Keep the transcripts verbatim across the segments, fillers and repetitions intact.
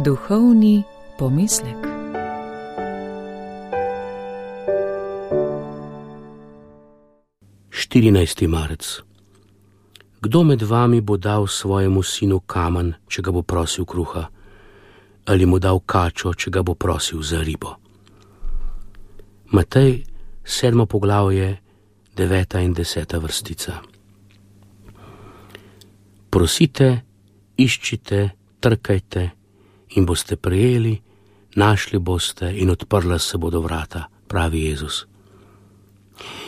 Duhovni pomislek. štirinajsti marec. Kdo med vami bo dal svojemu sinu kamen, če ga bo prosil kruha, ali mu dal kačo, če ga bo prosil za ribo? Matej, sedmo poglavje, deveta in deseta vrstica. Prosite, iščite, trkajte in boste prejeli, našli boste in odprla se bodo vrata, pravi Jezus.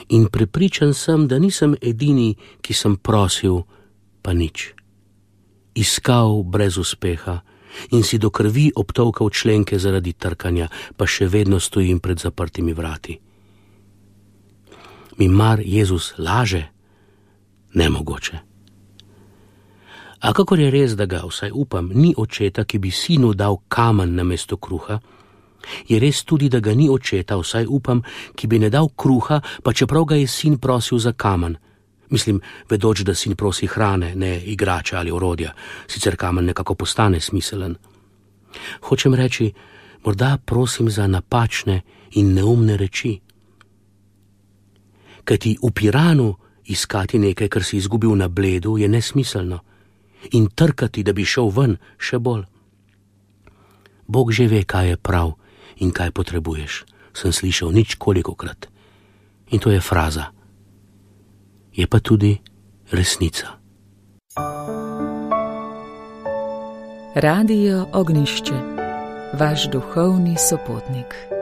In prepričan sem, da nisem edini, ki sem prosil, pa nič. Iskal brez uspeha in si do krvi obtolkal členke zaradi trkanja, pa še vedno stojim pred zaprtimi vrati. Mi mar Jezus laže? Nemogoče. A kakor je res, da ga, vsaj upam, ni očeta, ki bi sinu dal kamen namesto kruha, je res tudi, da ga ni očeta, vsaj upam, ki bi ne dal kruha, pa čeprav ga je sin prosil za kamen. Mislim, vedoč, da sin prosi hrane, ne igrača ali orodja, sicer kamen nekako postane smiselen. Hočem reči, morda prosim za napačne in neumne reči. Kajti v Piranu iskati nekaj, kar si izgubil na Bledu, je nesmiselno. In trkati, da bi šel ven, še bolj. Bog že ve, kaj je prav in kaj potrebuješ, sem slišal nič kolikokrat. In to je fraza. Je pa tudi resnica. Radio Ognjišče, vaš duhovni sopotnik.